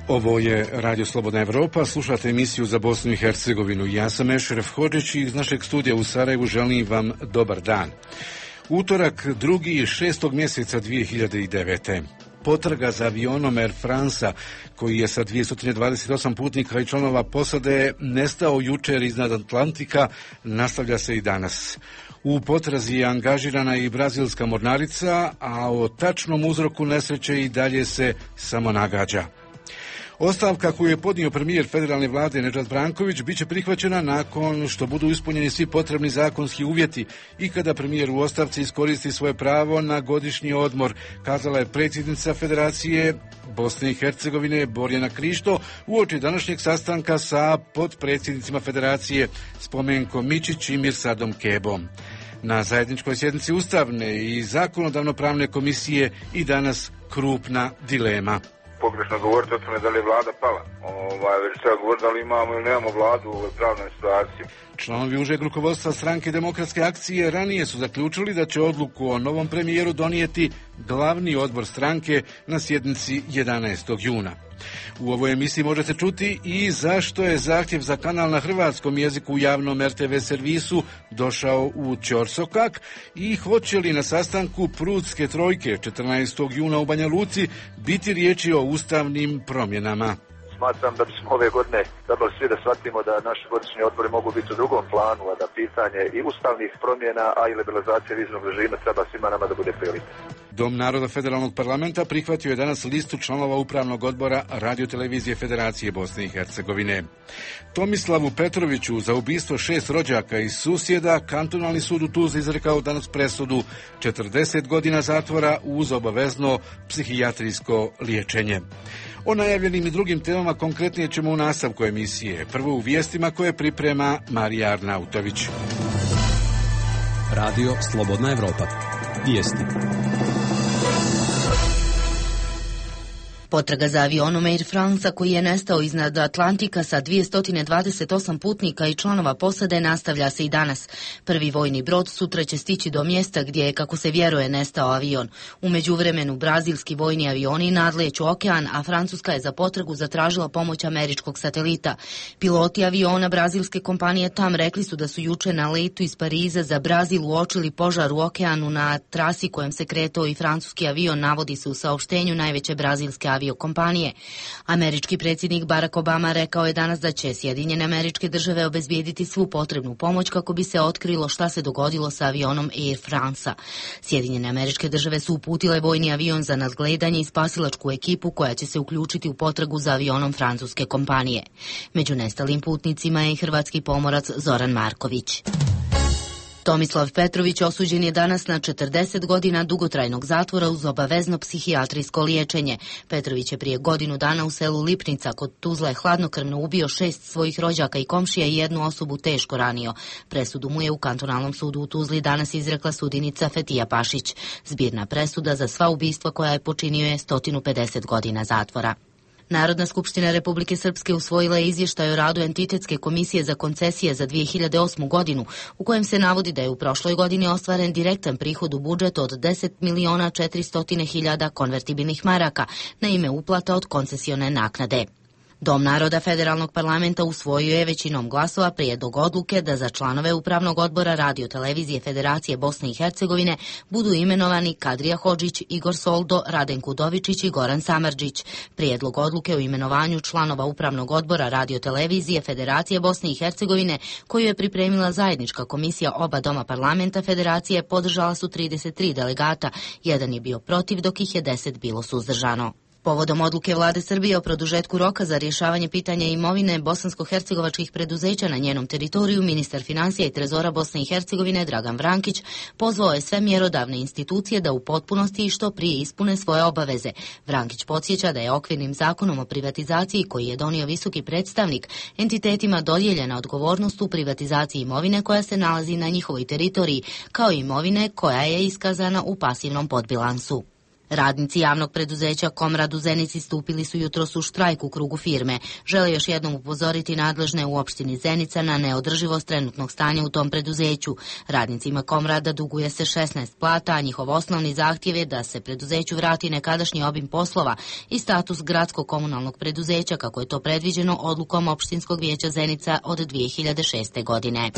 Ovo je Radio Slobodna Evropa, slušate emisiju za Bosnu i Hercegovinu. Ja sam Ešref Hodžić i iz našeg studija u Sarajevu želim vam dobar dan. Utorak, 2. mjeseca 2009. Potraga za avionom Air Franca, koji je sa 228 putnika i članova posade nestao jučer iznad Atlantika, nastavlja se i danas. U potrazi je angažirana i brazilska mornarica, a o tačnom uzroku nesreće i dalje se samo nagađa. Ostavka koju je podnio premijer federalne vlade Nedžad Branković biće prihvaćena nakon što budu ispunjeni svi potrebni zakonski uvjeti i kada premijer u ostavci iskoristi svoje pravo na godišnji odmor, kazala je predsjednica Federacije Bosne i Hercegovine Borjana Krišto uoči današnjeg sastanka sa potpredsjednicima Federacije Spomenko Mičić i Mirsadom Kebom. Na zajedničkoj sjednici Ustavne i zakonodavno-pravne komisije i danas krupna dilema. Pogrešno govoriti o tome da li je vlada pala. Već treba govoriti da li imamo ili nemamo vladu u ovoj pravnoj situaciji. Članovi užeg rukovodstva Stranke demokratske akcije ranije su zaključili da će odluku o novom premijeru donijeti glavni odbor stranke na sjednici 11. juna. U ovoj emisiji možete čuti i zašto je zahtjev za kanal na hrvatskom jeziku u javnom RTV servisu došao u ćorsokak i hoće li na sastanku Prudske trojke 14. juna u Banja Luci biti riječi o ustavnim promjenama. Smatram da bismo ove godine trebali svi da shvatimo da naši godišnji odbori mogu biti u drugom planu, a da pitanje i ustavnih promjena, a i liberalizacije viznog režima treba svima nama da bude prioritet. Dom naroda Federalnog parlamenta prihvatio je danas listu članova Upravnog odbora Radiotelevizije Federacije Bosne i Hercegovine. Tomislavu Petroviću za ubistvo 6 rođaka i susjeda kantonalni sud u Tuzli izrekao danas presudu 40 godina zatvora uz obavezno psihijatrijsko liječenje. O najavljenim i drugim temama konkretnije ćemo u nastavku emisije. Prvo u vijestima koje priprema Marija Arnautović. Radio Slobodna Evropa. Vijesti. Potraga za avionom Air Franca koji je nestao iznad Atlantika sa 228 putnika i članova posade nastavlja se i danas. Prvi vojni brod sutra će stići do mjesta gdje je, kako se vjeruje, nestao avion. U međuvremenu brazilski vojni avioni nadleću okean, a Francuska je za potragu zatražila pomoć američkog satelita. Piloti aviona brazilske kompanije TAM rekli su da su juče na letu iz Pariza za Brazil uočili požar u okeanu na trasi kojem se kretao i francuski avion, navodi se u saopštenju najveće brazilske aviokompanije. Američki predsjednik Barack Obama rekao je danas da će Sjedinjene Američke Države obezbijediti svu potrebnu pomoć kako bi se otkrilo šta se dogodilo sa avionom Air Franca. Sjedinjene Američke Države su uputile vojni avion za nadgledanje i spasilačku ekipu koja će se uključiti u potragu za avionom francuske kompanije. Među nestalim putnicima je i hrvatski pomorac Zoran Marković. Tomislav Petrović osuđen je danas na 40 godina dugotrajnog zatvora uz obavezno psihijatrijsko liječenje. Petrović je prije godinu dana u selu Lipnica kod Tuzle hladnokrvno ubio 6 svojih rođaka i komšija i 1 osobu teško ranio. Presudu mu je u kantonalnom sudu u Tuzli danas izrekla sudinica Fetija Pašić. Zbirna presuda za sva ubistva koja je počinio je 150 godina zatvora. Narodna skupština Republike Srpske usvojila je izvještaj o radu Entitetske komisije za koncesije za 2008. godinu, u kojem se navodi da je u prošloj godini ostvaren direktan prihod u budžet od 10.400.000 konvertibilnih maraka na ime uplata od koncesione naknade. Dom naroda Federalnog parlamenta usvojio je većinom glasova prijedlog odluke da za članove Upravnog odbora Radiotelevizije Federacije Bosne i Hercegovine budu imenovani Kadrija Hodžić, Igor Soldo, Raden Kudovičić i Goran Samardžić. Prijedlog odluke o imenovanju članova Upravnog odbora Radiotelevizije Federacije Bosne i Hercegovine, koju je pripremila zajednička komisija oba doma parlamenta Federacije, podržala su 33 delegata, 1 je bio protiv, dok ih je 10 bilo suzdržano. Povodom odluke vlade Srbije o produžetku roka za rješavanje pitanja imovine bosansko-hercegovačkih preduzeća na njenom teritoriju, ministar financija i trezora Bosne i Hercegovine Dragan Vrankić pozvao je sve mjerodavne institucije da u potpunosti i što prije ispune svoje obaveze. Vrankić podsjeća da je okvirnim zakonom o privatizaciji, koji je donio visoki predstavnik, entitetima dodijeljena odgovornost u privatizaciji imovine koja se nalazi na njihovoj teritoriji, kao i imovine koja je iskazana u pasivnom podbilansu. Radnici javnog preduzeća Komrad u Zenici stupili su jutros u štrajk u krugu firme. Žele još jednom upozoriti nadležne u opštini Zenica na neodrživost trenutnog stanja u tom preduzeću. Radnicima Komrada duguje se 16 plata, a njihov osnovni zahtjev je da se preduzeću vrati nekadašnji obim poslova i status gradskog komunalnog preduzeća, kako je to predviđeno odlukom opštinskog vijeća Zenica od 2006. godine.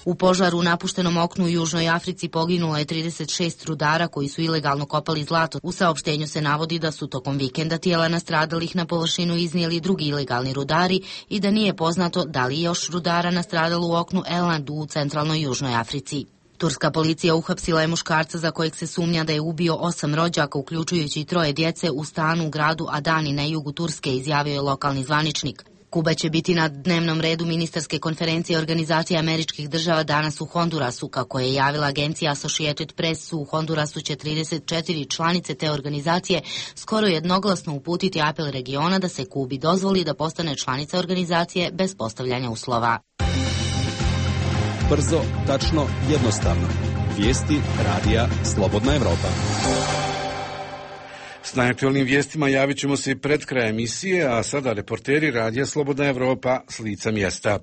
U požaru u napuštenom oknu u Južnoj Africi poginulo je 36 rudara koji su ilegalno kopali zlato. U saopštenju se navodi da su tokom vikenda tijela nastradalih na površinu iznijeli drugi ilegalni rudari i da nije poznato da li je još rudara nastradalo u oknu Elandu u centralnoj Južnoj Africi. Turska policija uhapsila je muškarca za kojeg se sumnja da je ubio 8 rođaka, uključujući i 3 djece u stanu u gradu Adani na jugu Turske, izjavio je lokalni zvaničnik. Kuba će biti na dnevnom redu ministarske konferencije Organizacije američkih država danas u Hondurasu. Kako je javila agencija Associated Press, u Hondurasu će 34 članice te organizacije skoro jednoglasno uputiti apel regiona da se Kubi dozvoli da postane članica organizacije bez postavljanja uslova. Brzo, tačno, jednostavno. Vijesti radija Slobodna Evropa. S najaktualnim vijestima javit ćemo se pred kraj emisije, a sada reporteri radija Slobodna Evropa s lica mjesta.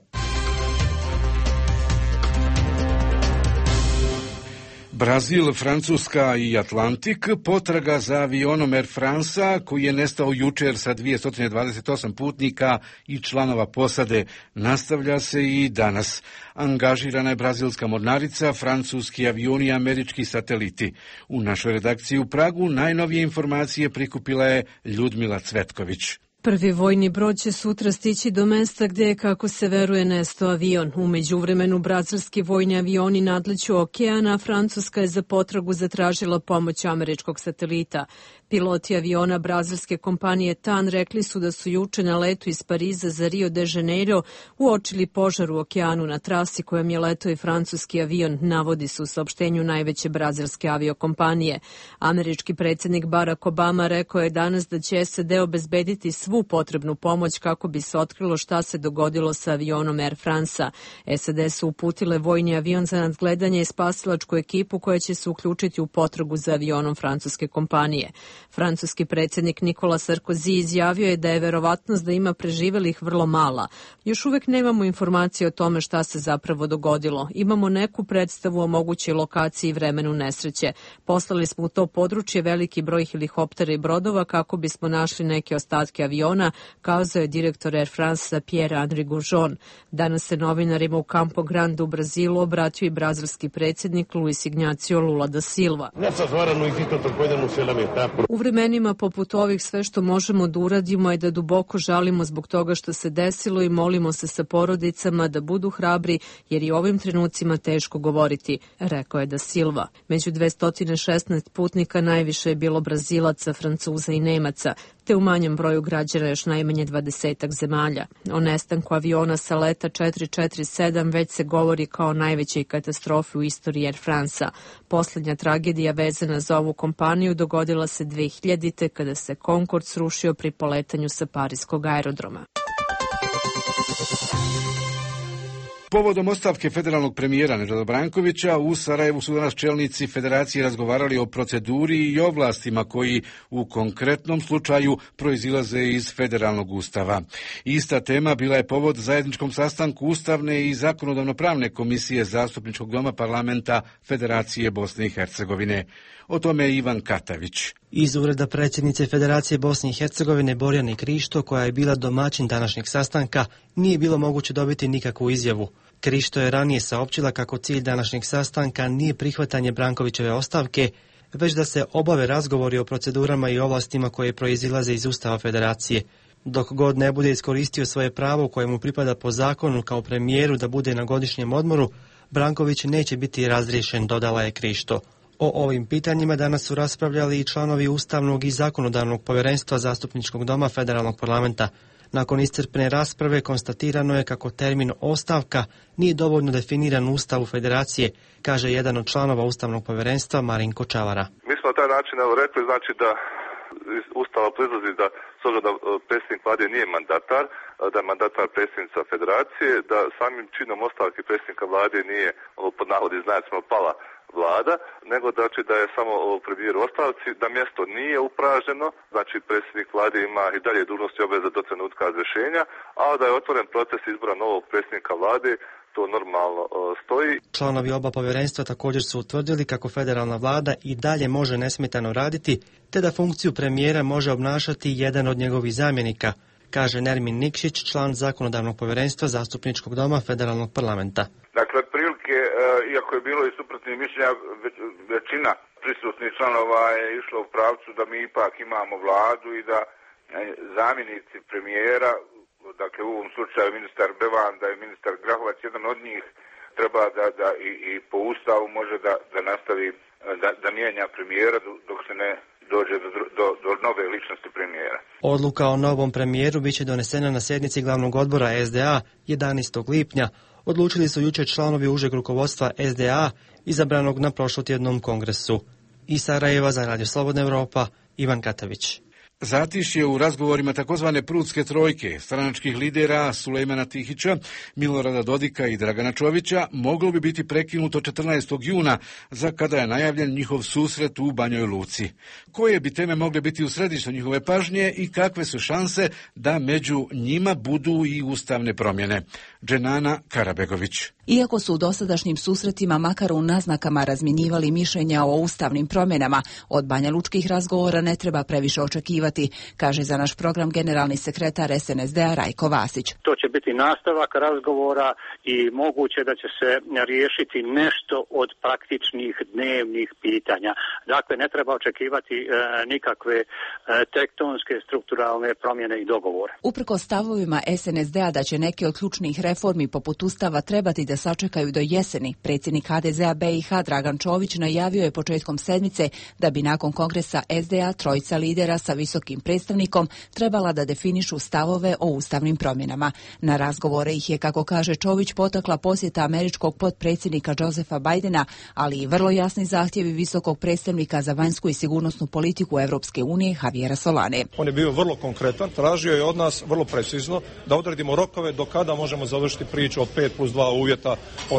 Brazil, Francuska i Atlantik, potraga za avionom Air France koji je nestao jučer sa 228 putnika i članova posade, nastavlja se i danas. Angažirana je brazilska mornarica, francuski avioni i američki sateliti. U našoj redakciji u Pragu najnovije informacije prikupila je Ljudmila Cvetković. Prvi vojni brod će sutra stići do mesta gdje je, kako se veruje, nestao avion. U međuvremenu brazilski vojni avioni nadleću okeana, a Francuska je za potragu zatražila pomoć američkog satelita. Piloti aviona brazilske kompanije TAN rekli su da su juče na letu iz Pariza za Rio de Janeiro uočili požar u okeanu na trasi kojom je letao i francuski avion, navodi se u saopštenju najveće brazilske aviokompanije. Američki predsjednik Barack Obama rekao je danas da će SAD obezbediti svu potrebnu pomoć kako bi se otkrilo šta se dogodilo sa avionom Air France-a. SAD su uputile vojni avion za nadgledanje i spasilačku ekipu koja će se uključiti u potragu za avionom francuske kompanije. Francuski predsjednik Nikola Sarkozy izjavio je da je verovatnost da ima preživelih vrlo mala. Još uvijek nemamo informacije o tome šta se zapravo dogodilo. Imamo neku predstavu o mogućoj lokaciji i vremenu nesreće. Poslali smo u to područje veliki broj helikoptera i brodova kako bismo našli neke ostatke aviona, kazao je direktor Air France Pierre-Henri Goujon. Danas se novinarima u Campo Grande u Brazilu obratio i brazilski predsjednik Luis Ignacio Lula da Silva. U vremenima poput ovih sve što možemo da uradimo je da duboko žalimo zbog toga što se desilo i molimo se sa porodicama da budu hrabri jer i u ovim trenucima teško govoriti, rekao je da Silva. Među 216 putnika najviše je bilo Brazilaca, Francuza i Nemaca, te u manjem broju građana još najmanje 20 zemalja. O nestanku aviona sa leta 447 već se govori kao najvećoj katastrofi u istoriji Air France-a. Posljednja tragedija vezana za ovu kompaniju dogodila se 2000. kada se Concorde srušio pri poletanju sa parijskog aerodroma. Povodom ostavke federalnog premijera Nedžada Brankovića, u Sarajevu su danas čelnici federacije razgovarali o proceduri i ovlastima koji u konkretnom slučaju proizilaze iz federalnog ustava. Ista tema bila je povod zajedničkom sastanku Ustavne i zakonodavno-pravne komisije Zastupničkog doma parlamenta Federacije Bosne i Hercegovine. O tome je Ivan Katavić. Iz ureda predsjednice Federacije Bosne i Hercegovine Borjane Krišto, koja je bila domaćin današnjeg sastanka, nije bilo moguće dobiti nikakvu izjavu. Krišto je ranije saopćila kako cilj današnjeg sastanka nije prihvatanje Brankovićeve ostavke, već da se obave razgovori o procedurama i ovlastima koje proizilaze iz Ustava Federacije. Dok god ne bude iskoristio svoje pravo koje mu pripada po zakonu kao premijeru da bude na godišnjem odmoru, Branković neće biti razriješen, dodala je Krišto. O ovim pitanjima danas su raspravljali i članovi Ustavnog i zakonodavnog povjerenstva Zastupničkog doma Federalnog parlamenta. Nakon iscrpne rasprave konstatirano je kako termin ostavka nije dovoljno definiran u Ustavu Federacije, kaže jedan od članova Ustavnog povjerenstva Marinko Čavara. Mi smo na taj način rekli, znači da iz Ustava proizlazi da s obzirom da predsjednik vlade nije mandatar, da je mandatar predsjednica Federacije, da samim činom ostavke predsjednika vlade nije pod navodi znacima pala vlada, nego znači da je samo premijer u ostavci, da mjesto nije upraženo, znači predsjednik vlade ima i dalje dužnosti i obveze do trenutka razrješenja, a da je otvoren proces izbora novog predsjednika vlade, to normalno stoji. Članovi oba povjerenstva također su utvrdili kako federalna vlada i dalje može nesmetano raditi, te da funkciju premijera može obnašati jedan od njegovih zamjenika, kaže Nermin Nikšić, član zakonodavnog povjerenstva Zastupničkog doma Federalnog parlamenta. Dakle, prilike, iako je bilo i suprotnih mišljenja, većina prisutnih članova je išla u pravcu da mi ipak imamo vladu i da zamjenici premijera, dakle u ovom slučaju ministar Bevanda i ministar Grahovac, jedan od njih treba da i po ustavu može da nastavi da mijenja premijera dok se ne dođe do nove ličnosti premijera. Odluka o novom premijeru biće donesena na sjednici glavnog odbora SDA 11. lipnja. Odlučili su jučer članovi užeg rukovodstva SDA izabranog na prošlotjednom kongresu. Iz Sarajeva za Radio Slobodna Europa, Ivan Katavić. Zatišje u razgovorima takozvane Prudske trojke stranačkih lidera Sulejmana Tihića, Milorada Dodika i Dragana Čovića moglo bi biti prekinuto 14. juna, za kada je najavljen njihov susret u Banjoj Luci. Koje bi teme mogle biti u središtu njihove pažnje i kakve su šanse da među njima budu i ustavne promjene? Dženana Karabegović. Iako su u dosadašnjim susretima makar u naznakama razmjenjivali mišljenja o ustavnim promjenama, od banjalučkih razgovora ne treba previše očekivati, kaže za naš program generalni sekretar SNSD-a Rajko Vasić. To će biti nastavak razgovora i moguće da će se riješiti nešto od praktičnih dnevnih pitanja. Dakle, ne treba očekivati nikakve tektonske strukturalne promjene i dogovore. Uprkos stavovima SNSD-a da će neke od ključnih reformi poput Ustava trebati da sačekaju do jeseni, predsjednik HDZ-a BiH Dragan Čović najavio je početkom sedmice da bi nakon kongresa SDA trojica lidera sa visokim predstavnikom trebala da definišu stavove o ustavnim promjenama. Na razgovore ih je, kako kaže Čović, potakla posjeta američkog potpredsjednika Josepha Bidena, ali i vrlo jasni zahtjevi visokog predstavnika za vanjsku i sigurnosnu politiku Europske unije Javiera Solane. On je bio vrlo konkretan, tražio je od nas vrlo precizno da odredimo rokove do kada možemo završiti priču od 5+2 uvjeta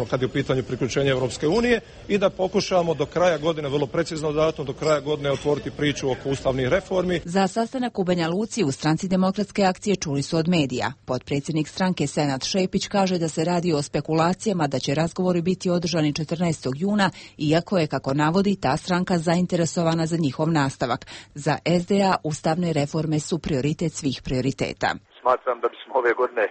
kad je u pitanju priključenja Europske unije i da pokušamo do kraja godine, vrlo precizno datum, do kraja godine otvoriti priču oko ustavnih reformi. Za sastanak u Banja Luci u Stranci demokratske akcije čuli su od medija. Potpredsjednik stranke Senad Šepić kaže da se radi o spekulacijama da će razgovori biti održani 14. juna, iako je, kako navodi, ta stranka zainteresovana za njihov nastavak. Za SDA ustavne reforme su prioritet svih prioriteta. Smatram da bismo ove godine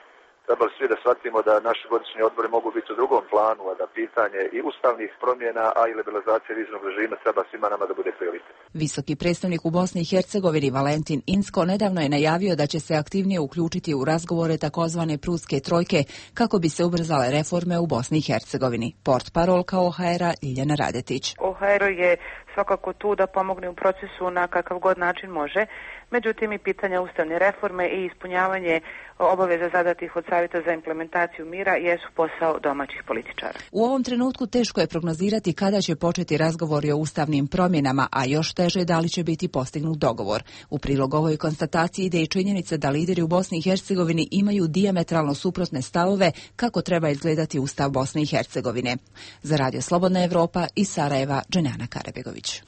trebali svi da shvatimo da naši godišnji odbori mogu biti u drugom planu, a da pitanje i ustavnih promjena, a i liberalizacije viznog režima treba svima nama da bude prioritet. Visoki predstavnik u Bosni i Hercegovini Valentin Inzko nedavno je najavio da će se aktivnije uključiti u razgovore takozvane Prudske trojke kako bi se ubrzale reforme u Bosni i Hercegovini. Portparolka OHR-a Ljiljana Radetić. OHR je svakako tu da pomogne u procesu na kakav god način može. Međutim, i pitanja ustavne reforme i ispunjavanje obaveza zadatih od Savjeta za implementaciju mira jesu posao domaćih političara. U ovom trenutku teško je prognozirati kada će početi razgovori o ustavnim promjenama, a još teže da li će biti postignut dogovor. U prilog ovoj konstataciji ide i činjenica da lideri u Bosni i Hercegovini imaju dijametralno suprotne stavove kako treba izgledati Ustav Bosne i Hercegovine. Za Radio Slobodna Europa iz Sarajeva, Dženana Karabegović.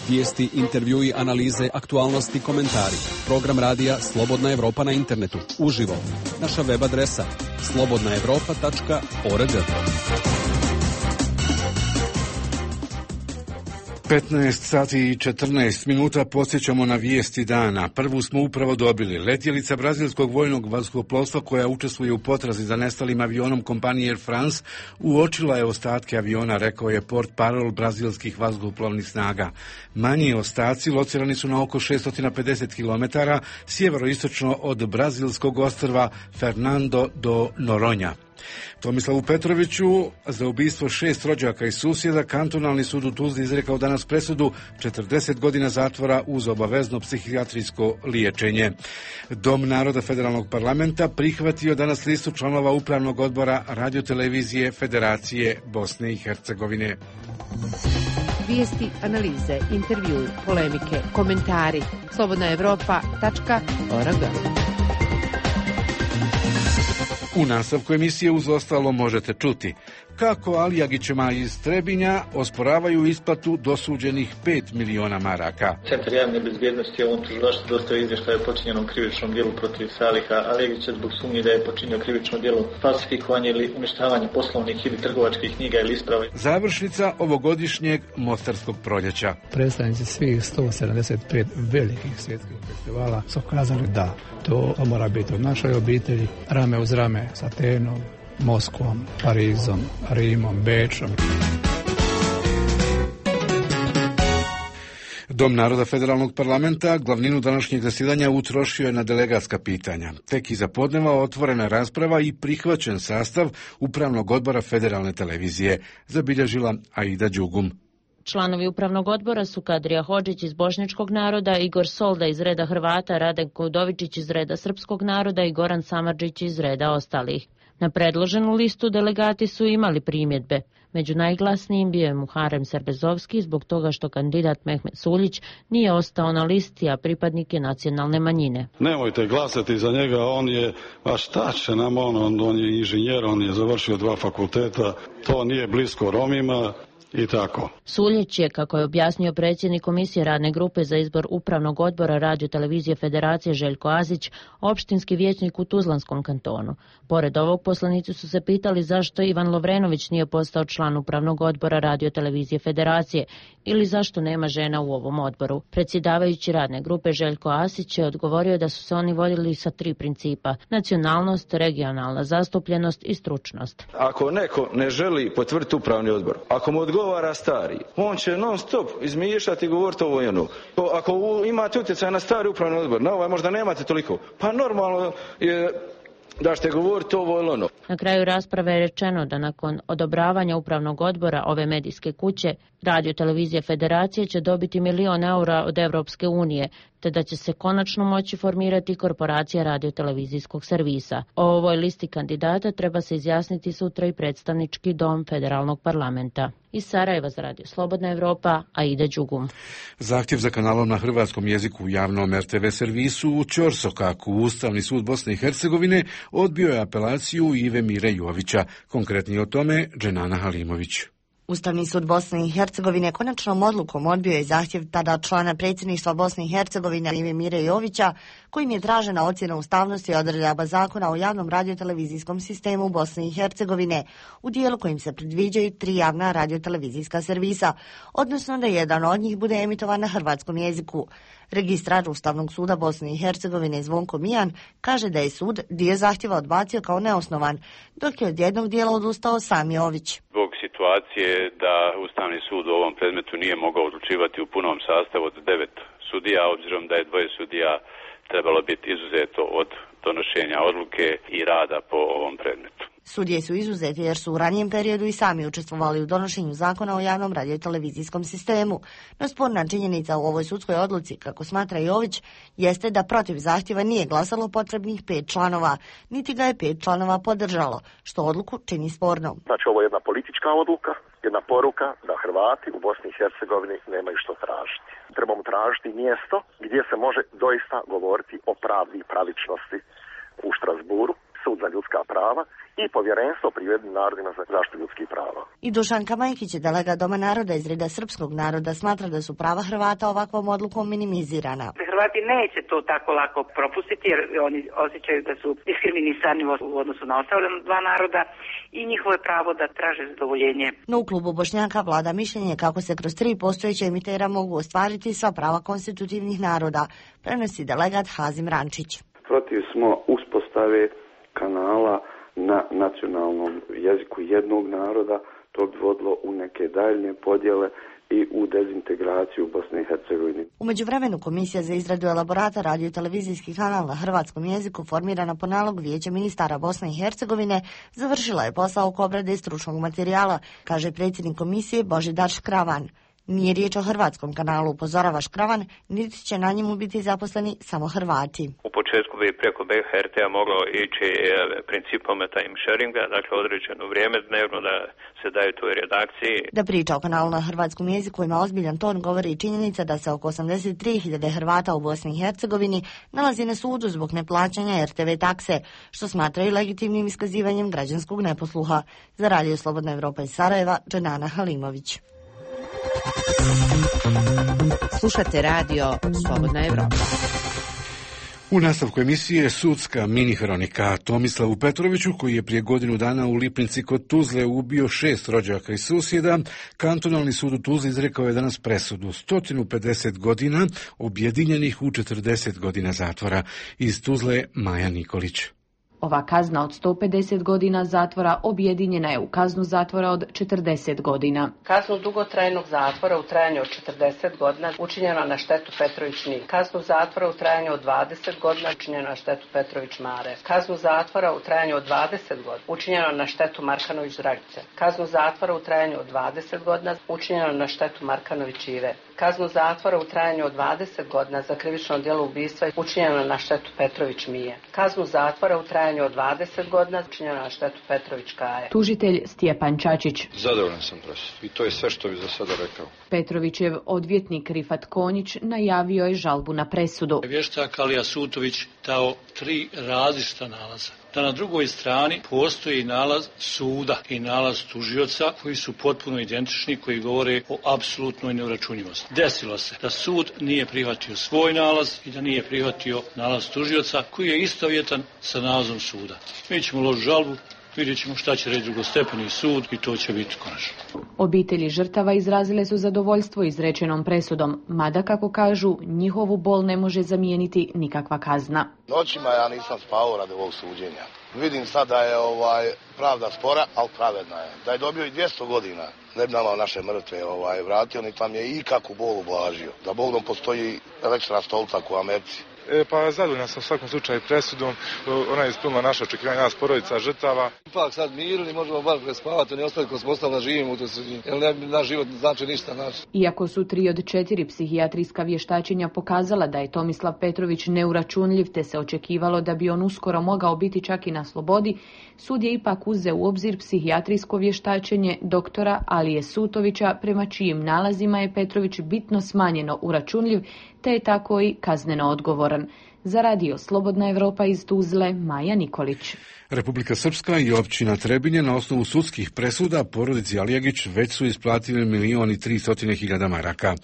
Vijesti, intervjui, analize, aktualnosti, komentari. Program radija Slobodna Europa na internetu. Uživo. Naša web adresa slobodnaevropa.org. 15 sati i 14 minuta podsjećamo na vijesti dana. Prvu smo upravo dobili. Letjelica brazilskog vojnog vazduhoplovstva koja učestvuje u potrazi za nestalim avionom kompanije Air France uočila je ostatke aviona, rekao je portparol brazilskih vazduhoplovnih snaga. Manji ostaci locirani su na oko 650 km sjeveroistočno od brazilskog ostrva Fernando do Noronha. Tomislavu Petroviću za ubistvo 6 rođaka i susjeda kantonalni sud u Tuzli izrekao danas presudu 40 godina zatvora uz obavezno psihijatrijsko liječenje. Dom naroda federalnog parlamenta prihvatio danas listu članova upravnog odbora radiotelevizije Federacije Bosne i Hercegovine. Vijesti, analize, intervjui, polemike, komentari. slobodnaevropa.org. U nastavku emisije uz ostalo možete čuti kako Alijagićima iz Trebinja osporavaju isplatu dosuđenih 5 miliona maraka. Centar javne bezbjednosti je ovom tužilaštvu dostavio izvještaj o počinjenom krivičnom djelu protiv Saliha Alijagića zbog sumnje da je počinio krivično djelo falsifikovanje ili uništavanje poslovnih ili trgovačkih knjiga ili isprava. Završnica ovogodišnjeg Mostarskog proljeća. Predstavnici svih 175 velikih svjetskih festivala su kazali da to mora biti u našoj obitelji, rame uz rame s Atenom, Moskvom, Parizom, Rimom, Bečom. Dom naroda Federalnog parlamenta glavninu današnjeg zasjedanja utrošio je na delegatska pitanja. Tek iza podneva otvorena rasprava i prihvaćen sastav Upravnog odbora Federalne televizije, zabilježila Aida Đugum. Članovi upravnog odbora su Kadrija Hodžić iz bošnjačkog naroda, Igor Solda iz reda Hrvata, Radenko Udovičić iz reda srpskog naroda i Goran Samardžić iz reda ostalih. Na predloženu listu delegati su imali primjedbe. Među najglasnijim bio je Muharem Serbezovski zbog toga što kandidat Mehmet Suljić nije ostao na listi, a pripadnik je nacionalne manjine. Nemojte glasati za njega, on je, a šta će nam on je inženjer, on je završio 2 fakulteta, to nije blisko Romima. I tako. Suljić je, kako je objasnio predsjednik Komisije radne grupe za izbor Upravnog odbora Radio televizije Federacije Željko Azić, opštinski vijećnik u Tuzlanskom kantonu. Pored ovog poslanici su se pitali zašto Ivan Lovrenović nije postao član Upravnog odbora Radio televizije Federacije ili zašto nema žena u ovom odboru. Predsjedavajući radne grupe Željko Asić je odgovorio da su se oni vodili sa 3 principa: nacionalnost, regionalna zastupljenost i stručnost. Ako neko ne želi potvrditi upravni odbor, ako mu odgovara stari, on će non stop izmišljati i govoriti ovo i ono. Ako imate utjecaj na stari upravni odbor, na ovaj možda nemate toliko, pa normalno je da ćete govoriti ovo ili ono. Na kraju rasprave je rečeno da nakon odobravanja upravnog odbora ove medijske kuće, Radio televizije Federacije će dobiti €1 milion od Evropske unije, te da će se konačno moći formirati korporacija radiotelevizijskog servisa. O ovoj listi kandidata treba se izjasniti sutra i predstavnički dom Federalnog parlamenta. Iz Sarajeva za Radio Slobodna Evropa, Aida Đugum. Zahtjev za kanalom na hrvatskom jeziku u javnom RTV servisu u Ćorsokaku Ustavni sud Bosne i Hercegovine odbio je apelaciju Ive Mire Jovića. Konkretnije o tome Dženana Halimović. Ustavni sud Bosne i Hercegovine konačnom odlukom odbio je zahtjev tada člana predsjedništva Bosne i Hercegovine Ive Mire Jovića, kojim je tražena ocjena ustavnosti odredaba zakona o javnom radiotelevizijskom sistemu Bosne i Hercegovine u dijelu kojim se predviđaju 3 javna radiotelevizijska servisa, odnosno da jedan od njih bude emitovan na hrvatskom jeziku. Registrar Ustavnog suda Bosne i Hercegovine Zvonko Mijan kaže da je sud dio zahtjeva odbacio kao neosnovan, dok je od jednog dijela odustao sam Jović. Zbog situacije da Ustavni sud u ovom predmetu nije mogao odlučivati u punom sastavu od 9 sudija, obzirom da je 2 sudija trebalo biti izuzeto od donošenja odluke i rada po ovom predmetu. Sudije su izuzeti jer su u ranijem periodu i sami učestvovali u donošenju zakona o javnom radiotelevizijskom sistemu. No sporna činjenica u ovoj sudskoj odluci, kako smatra Jović, jeste da protiv zahtjeva nije glasalo potrebnih 5 članova, niti ga je 5 članova podržalo, što odluku čini spornom. Znači ovo je jedna politička odluka, jedna poruka da Hrvati u Bosni i Hercegovini nemaju što tražiti. Trebamo tražiti mjesto gdje se može doista govoriti o pravdi i pravičnosti u Štrasburu, sud za ljudska prava i povjerenstvo pri Ujedinjenim narodima za zaštitu ljudskih prava. I Dušan Kamajkić, delegat Doma naroda iz reda srpskog naroda, smatra da su prava Hrvata ovakvom odlukom minimizirana. Hrvati neće to tako lako propustiti jer oni osjećaju da su diskriminisani u odnosu na ostale 2 naroda i njihovo je pravo da traže zadovoljenje. No u klubu Bošnjaka vlada mišljenje kako se kroz 3 postojeća emitera mogu ostvariti sva prava konstitutivnih naroda, prenosi delegat Hazim Rančić. Protiv smo uspostave kanala na nacionalnom jeziku jednog naroda, to bi vodilo u neke daljnje podjele i u dezintegraciju Bosne i Hercegovine. U međuvremenu Komisija za izradu elaborata radio-televizijski kanal na hrvatskom jeziku, formirana po nalogu Vijeća ministara Bosne i Hercegovine, završila je posao oko obrade stručnog materijala, kaže predsjednik komisije Božidar Škravan. Nije riječ o hrvatskom kanalu, upozorava Škravan, niti će na njemu biti zaposleni samo Hrvati. U početku bi preko BHRT-a moglo ići principom time sharinga, dakle određeno vrijeme dnevno da se daju toj redakciji. Da priča o kanalu na hrvatskom jeziku ima ozbiljan ton govori i činjenica da se oko 83.000 Hrvata u Bosni i Hercegovini nalazi na sudu zbog neplaćanja RTV takse, što smatraju legitimnim iskazivanjem građanskog neposluha. Za Radio Slobodna Evropa iz Sarajeva, Dženana Halimović. Slušate Radio Slobodna Evropa. U nastavku emisije sudska mini hronika Tomislavu Petroviću, koji je prije godinu dana u Lipnici kod Tuzle ubio 6 rođaka i susjeda, kantonalni sud u Tuzli izrekao je danas presudu 150 godina objedinjenih u 40 godina zatvora. Iz Tuzle Maja Nikolić. Ova kazna od 150 godina zatvora objedinjena je u kaznu zatvora od 40 godina. Kaznu dugotrajnog zatvora u trajanju od 40 godina učinjeno na štetu Petrović Nik. Kaznu zatvora u trajanju od 20 godina učinjeno na štetu Petrović Mare. Kaznu zatvora u trajanju od 20 godina učinjeno na štetu Markanović Dragice. Kaznu zatvora u trajanju od 20 godina učinjeno na štetu Markanović Ive. Kaznu zatvora u trajanju od 20 godina za krivično djelo ubistva učinjeno na štetu Petrović Mije. Kaznu zatvora u trajanju od 20 godina učinjeno na štetu Petrović Kaje. Tužitelj Stjepan Čačić. Zadovoljan sam presudom i to je sve što bi za sada rekao. Petrovićev odvjetnik Rifat Konjić najavio je žalbu na presudu. Vještak Alija Sutović dao 3 različita nalaza. Da na drugoj strani postoji nalaz suda i nalaz tužioca koji su potpuno identični, koji govore o apsolutnoj neuračunjivosti. Desilo se da sud nije prihvatio svoj nalaz i da nije prihvatio nalaz tužioca koji je istovjetan sa nalazom suda. Mi ćemo uložiti žalbu, vidjet ćemo šta će reći drugostepeni sud i to će biti konačno. Obitelji žrtava izrazile su zadovoljstvo izrečenom presudom, mada kako kažu, njihovu bol ne može zamijeniti nikakva kazna. Noćima ja nisam spavao radi ovog suđenja. Vidim sad da je pravda spora, ali pravedna je. Da je dobio i 200 godina, ne bi nama naše mrtve vratio, niti nam je ikakvu bol ublažio. Da Bogom postoji električna stolica u Americi. Pa zadovoljan sam u svakom slučaju presudom, ona je ispunila naša očekivanja, nas porodica žrtava. Ipak sad mirili, možemo bar prespavati, oni ostali ko smo ostali da živimo u toj sredini, jer naš život znači ništa naš. Iako su 3 od 4 psihijatrijska vještačenja pokazala da je Tomislav Petrović neuračunljiv, te se očekivalo da bi on uskoro mogao biti čak i na slobodi, sud je ipak uzeo u obzir psihijatrijsko vještačenje doktora Alije Sutovića, prema čijim nalazima je Petrović bitno smanjeno uračunljiv, te je tako i kazneno odgovoran. Za Radio Slobodna Evropa iz Tuzle, Maja Nikolić. Republika Srpska i općina Trebinje na osnovu sudskih presuda porodici Alijagić već su isplatili 1.300.000 maraka.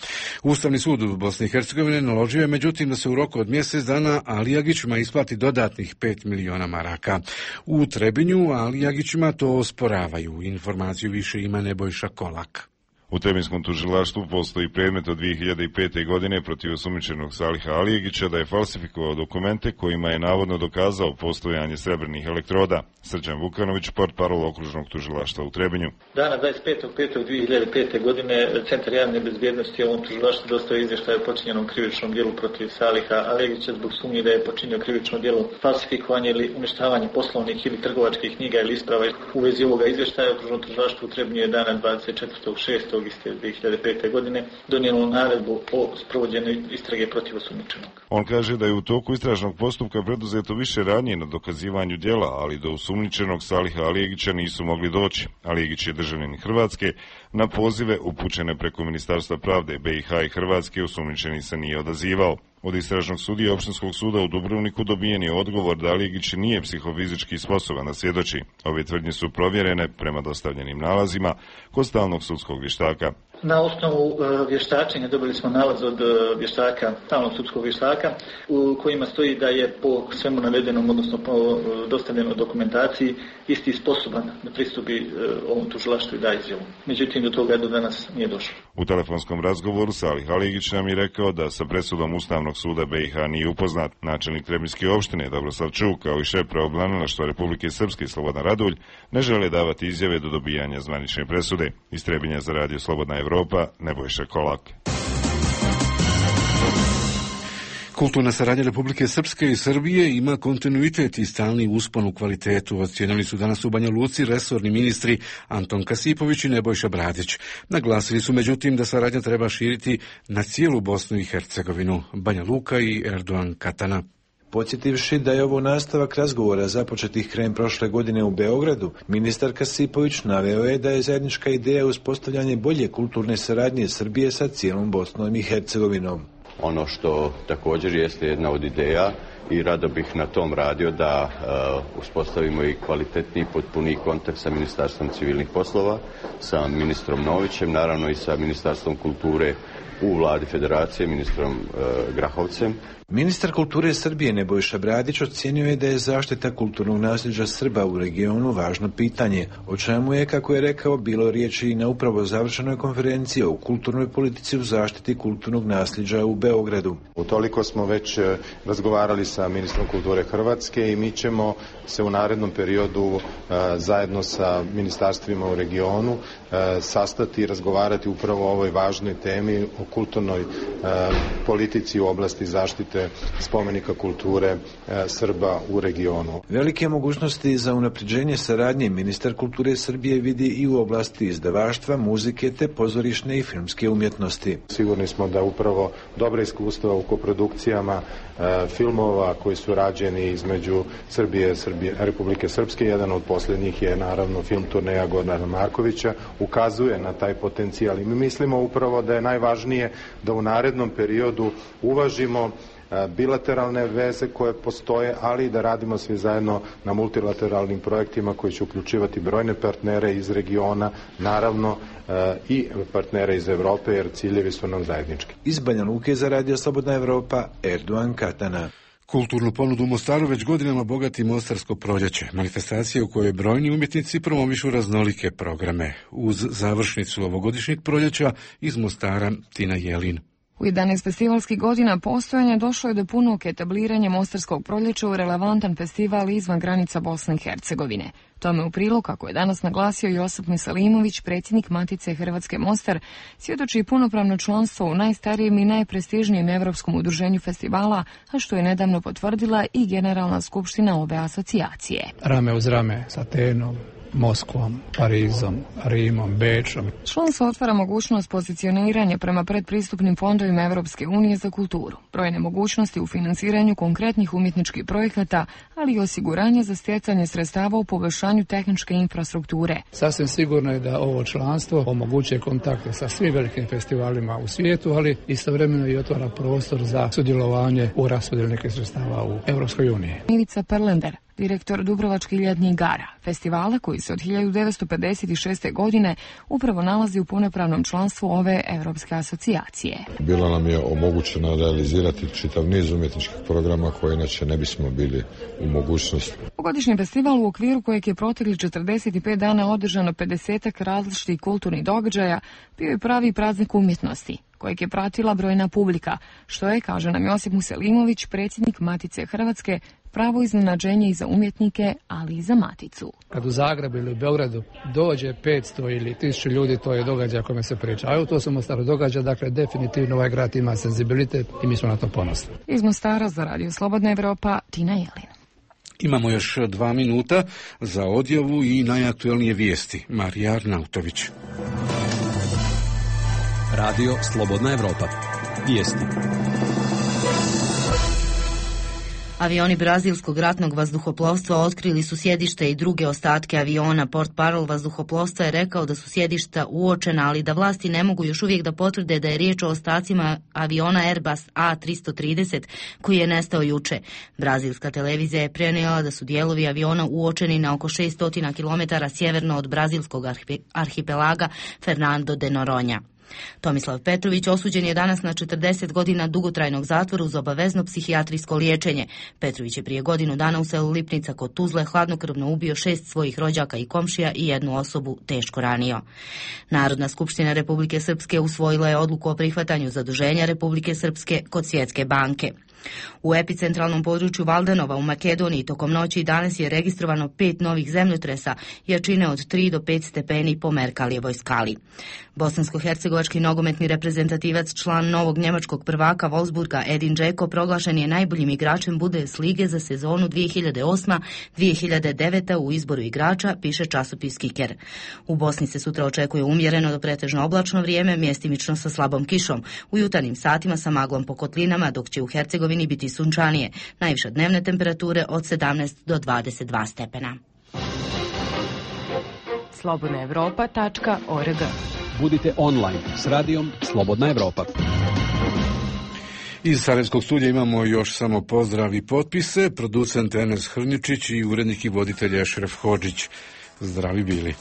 Ustavni sud u Bosni i Hercegovine naložio je međutim da se u roku od mjesec dana Alijagićima isplati dodatnih 5 miliona maraka. U Trebinju Alijagićima to osporavaju. Informaciju više ima Nebojša Kolak. U Trebinskom tužilaštvu postoji predmet od 2005. godine protiv osumnjičenog Saliha Alijegića da je falsifikovao dokumente kojima je navodno dokazao postojanje srebrnih elektroda. Srđan Vukanović, portparol okružnog tužilaštva u Trebinju. Dana 25.5.2005. godine Centar javne bezbjednosti ovom tužilaštvu dostavio izvještaj o počinjenom krivičnom djelu protiv Saliha Alijegića zbog sumnje da je počinio krivično djelo falsifikovanje ili uništavanje poslovnih ili trgovačkih knjiga ili isprava. U vezi ovoga izvještaja okružno tužilaštvo u Trebinju je dana 24.6. iste 2005. godine donijelo naredbu o sprovođenju istrage protiv osumnjičenog. On kaže da je u toku istražnog postupka preduzeto više radnje na dokazivanju djela, ali do osumnjičenog Saliha Alijegića nisu mogli doći. Alijegić je državljanin Hrvatske. Na pozive upućene preko Ministarstva pravde BiH i Hrvatske osumnjičeni se nije odazivao. Od istražnog sudije Opštinskog suda u Dubrovniku dobijen je odgovor da Alijegić nije psihofizički sposoban da svjedoči. Ove tvrdnje su provjerene prema dostavljenim nalazima kod stalnog sudskog vještaka. Na osnovu vještačenja dobili smo nalaz od vještaka, stalnog sudskog vještaka, u kojima stoji da je po svemu navedenom, odnosno po dostavljenoj dokumentaciji, isti sposoban da pristupi ovom tužilaštvu i da izjavu. Međutim, do toga do danas nije došlo. U telefonskom razgovoru Salih Alijegić nam je rekao da sa presudom Ustavnog suda BiH nije upoznat. Načelnik Trebinjske opštine Dobroslav Čuk, kao i šef pravobranilaštva Republike Srpske Slobodan Radulj, ne žele davati izjave do dobijanja zvanične presude. Iz Trebinja za Radio Slobodna Evropa, Nebojša Kolak. Kulturna saradnja Republike Srpske i Srbije ima kontinuitet i stalni uspon u kvalitetu, ocijenili su danas u Banja Luci resorni ministri Anton Kasipović i Nebojša Bradić. Naglasili su međutim da saradnja treba širiti na cijelu Bosnu i Hercegovinu. Banja Luka i Erdogan Katana. Podsjetivši da je ovo nastavak razgovora započetih krajem prošle godine u Beogradu, ministar Kasipović naveo je da je zajednička ideja uspostavljanje bolje kulturne saradnje Srbije sa cijelom Bosnom i Hercegovinom. Ono što također jeste jedna od ideja i rado bih na tom radio da uspostavimo i kvalitetni i potpuniji kontakt sa Ministarstvom civilnih poslova, sa ministrom Novićem, naravno i sa Ministarstvom kulture u vladi federacije, ministrom Grahovcem. Ministar kulture Srbije Nebojša Bradić ocijenio je da je zaštita kulturnog nasljeđa Srba u regionu važno pitanje, o čemu je, kako je rekao, bilo riječi i na upravo završenoj konferenciji o kulturnoj politici u zaštiti kulturnog nasljeđa u Beogradu. Utoliko smo već razgovarali sa ministrom kulture Hrvatske i mi ćemo se u narednom periodu zajedno sa ministarstvima u regionu sastati i razgovarati upravo o ovoj važnoj temi o kulturnoj politici u oblasti zaštite spomenika kulture Srba u regionu. Velike mogućnosti za unapređenje saradnje ministar kulture Srbije vidi i u oblasti izdavaštva, muzike te pozorišne i filmske umjetnosti. Sigurni smo da upravo dobra iskustva u koprodukcijama filmova koji su rađeni između Srbije i Republike Srpske, jedan od posljednjih je naravno film Turneja Gorana Markovića, ukazuje na taj potencijal i mi mislimo upravo da je najvažnije da u narednom periodu uvažimo bilateralne veze koje postoje, ali i da radimo svi zajedno na multilateralnim projektima koji će uključivati brojne partnere iz regiona, naravno i partnere iz Evrope, jer ciljevi su nam zajednički. Iz Banja Luke za Radio Slobodna Evropa, Erdogan Katana. Kulturnu ponudu u Mostaru već godinama bogati Mostarsko proljeće, manifestacija u kojoj brojni umjetnici promovišu raznolike programe. Uz završnicu ovogodišnjeg proljeća iz Mostara Tina Jelin. U 11 festivalskih godina postojanja došlo je do punog etabliranja Mostarskog proljeća u relevantan festival izvan granica Bosne i Hercegovine. Tome u prilog, kako je danas naglasio Josip Misalimović, predsjednik Matice Hrvatske Mostar, svjedoči punopravno članstvo u najstarijem i najprestižnijem evropskom udruženju festivala, a što je nedavno potvrdila i Generalna skupština ove asocijacije. Rame uz rame s Atenom, Moskvom, Parizom, Rimom, Bečom. Članstvo otvara mogućnost pozicioniranja prema predpristupnim fondovima Evropske unije za kulturu, brojne mogućnosti u financiranju konkretnih umjetničkih projekata, ali i osiguranje za stjecanje sredstava u poboljšanju tehničke infrastrukture. Sasvim sigurno je da ovo članstvo omogućuje kontakte sa svim velikim festivalima u svijetu, ali istovremeno i otvara prostor za sudjelovanje u raspodjeli nekih sredstava u Evropskoj uniji. Ivica Perlender, direktor Dubrovačkih ljetnih igara, festivala koji se od 1956. godine upravo nalazi u punopravnom članstvu ove Evropske asocijacije. Bilo nam je omogućeno realizirati čitav niz umjetničkih programa koje inače ne bismo bili u mogućnosti. Godišnji festival, u okviru kojeg je protekli 45 dana održano 50 različitih kulturnih događaja, bio je pravi praznik umjetnosti, kojeg je pratila brojna publika, što je, kaže nam Josip Muselimović, predsjednik Matice Hrvatske, pravo iznenađenje i za umjetnike, ali i za Maticu. Kad u Zagrebu ili u Beogradu dođe 500 ili 1000 ljudi, to je događaj kome se priča. A to se u Mostaru događa, dakle definitivno ovaj grad ima senzibilitet i mi smo na to ponosni. Iz Mostara za Radio Slobodna Evropa, Tina Jelin. Imamo još 2 minuta za odjavu i najaktuelnije vijesti. Marija Arnautović. Radio Slobodna Evropa. Vijesti. Avioni brazilskog ratnog vazduhoplovstva otkrili su sjedište i druge ostatke aviona. Portparol vazduhoplovstva je rekao da su sjedišta uočena, ali da vlasti ne mogu još uvijek da potvrde da je riječ o ostacima aviona Airbus A330 koji je nestao juče. Brazilska televizija je prenijela da su dijelovi aviona uočeni na oko 600 km sjeverno od brazilskog arhipelaga Fernando de Noronha. Tomislav Petrović osuđen je danas na 40 godina dugotrajnog zatvora uz obavezno psihijatrijsko liječenje. Petrović je prije godinu dana u selu Lipnica kod Tuzle hladnokrvno ubio 6 svojih rođaka i komšija i jednu osobu teško ranio. Narodna skupština Republike Srpske usvojila je odluku o prihvatanju zaduženja Republike Srpske kod Svjetske banke. U epicentralnom području Valdenova u Makedoniji tokom noći i danas je registrovano 5 novih zemljotresa jačine od 3 do 5 stepeni po Merkalijevoj skali. Bosansko-hercegovački nogometni reprezentativac, član novog njemačkog prvaka Wolfsburga Edin Dzeko proglašen je najboljim igračem Bundeslige za sezonu 2008-2009 u izboru igrača, piše časopis Kicker. U Bosni se sutra očekuje umjereno do pretežno oblačno vrijeme, mjestimično sa slabom kišom. U jutarnjim satima sa maglom po kotlinama, dok će u Hercegovini biti sunčanije. Najviša dnevne temperature od 17 do 22 stepena. slobodnaevropa.org. Budite online s radijom Slobodna Evropa. Iz Sarajevskog studija imamo još samo pozdrav i potpise. Producent Enes Hrničić i urednik i voditelj Ešref Hodžić. Zdravi bili.